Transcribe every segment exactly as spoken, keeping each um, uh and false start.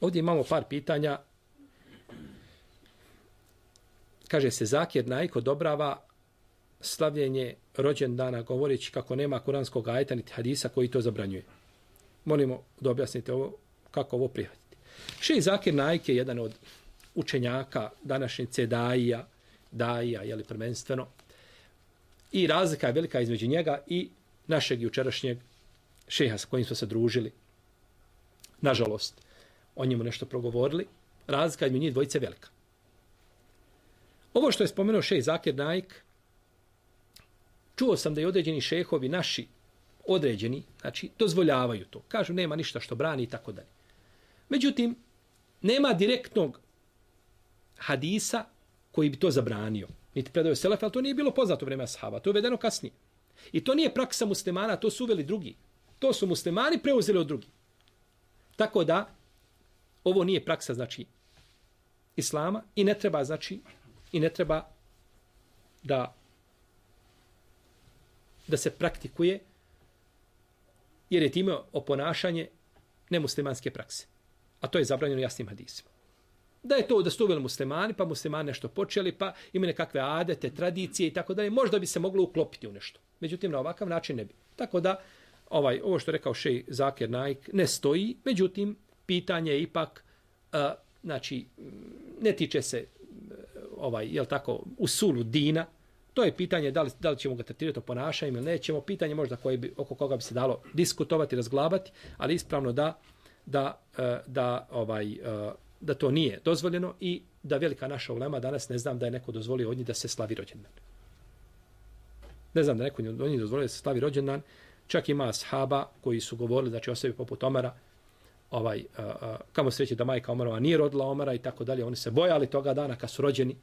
Ovdje imamo par pitanja. Kaže se, Zakir Naik odobrava slavljenje rođendana govoreći kako nema kuranskog ajeta niti hadisa koji to zabranjuje. Molimo da objasnite ovo, kako ovo prihvatiti. Šejh Zakir Naik je jedan od učenjaka današnjice daija, daija, jeli prvenstveno. I razlika je velika između njega i našeg jučerašnjeg šeha s kojim smo se družili. Nažalost, o njemu nešto progovorili. Razlika između njih dvojice velika. Ovo što je spomenuo šejh Zakir Naik, čuo sam da i određeni šehovi naši, određeni, znači, dozvoljavaju to. Kažu, nema ništa što brani i tako dalje. Međutim, nema direktnog hadisa koji bi to zabranio. Niti predaju selefa, ali to nije bilo poznato vreme ashaba. To je uvedeno kasnije. I to nije praksa muslimana, to su uveli drugi. To su muslimani preuzeli od drugih. Tako da, ovo nije praksa, znači, islama i ne treba, znači, i ne treba da da se praktikuje, jer je time oponašanje nemuslimanske prakse. A to je zabranjeno jasnim hadisima. Da je to da su uveli muslimani, pa muslimani nešto počeli, pa imaju nekakve adete, tradicije i tako dalje, možda bi se moglo uklopiti u nešto. Međutim, na ovakav način ne bi. Tako da, ovaj, ovo što je rekao šejh Zakir Naik ne stoji, međutim, pitanje je ipak, uh, znači, ne tiče se ovaj, jel tako, usulu dina, to je pitanje da li, da li ćemo ga tretirati o ponašanju ili nećemo, pitanje možda koje bi, oko koga bi se dalo diskutovati, razglabati, ali ispravno da, da, da, ovaj, da to nije dozvoljeno i da velika naša ulema danas ne znam da je neko dozvolio od njih da se slavi rođendan. Ne znam da neko od njih dozvolio da se slavi rođendan, čak ima ashaba koji su govorili, znači osobi poput Omara, ovaj, a, a, kamo sreće da majka Omarova nije rodila Omara i tako dalje, oni se bojali toga dana kad su rođeni,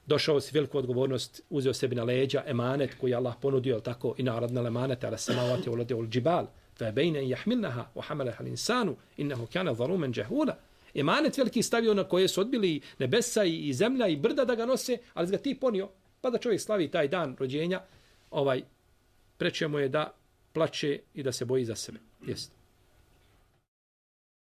došao si veliku odgovornost, uzeo sebi na leđa emanet koji Allah ponudio, al tako, i naradna emanet, ala samavati ulade ul džibal, fa bejne i jahmilnaha, wa hamalaha l'insanu, innehu kjana zarumen džahula. Emanet veliki stavio na koje su odbili nebesa i zemlja i brda da ga nose, ali ga ti ponio, pa da čovjek slavi taj dan rođenja, ovaj, preče mu je da plače i da se boji za sebe. Jeste.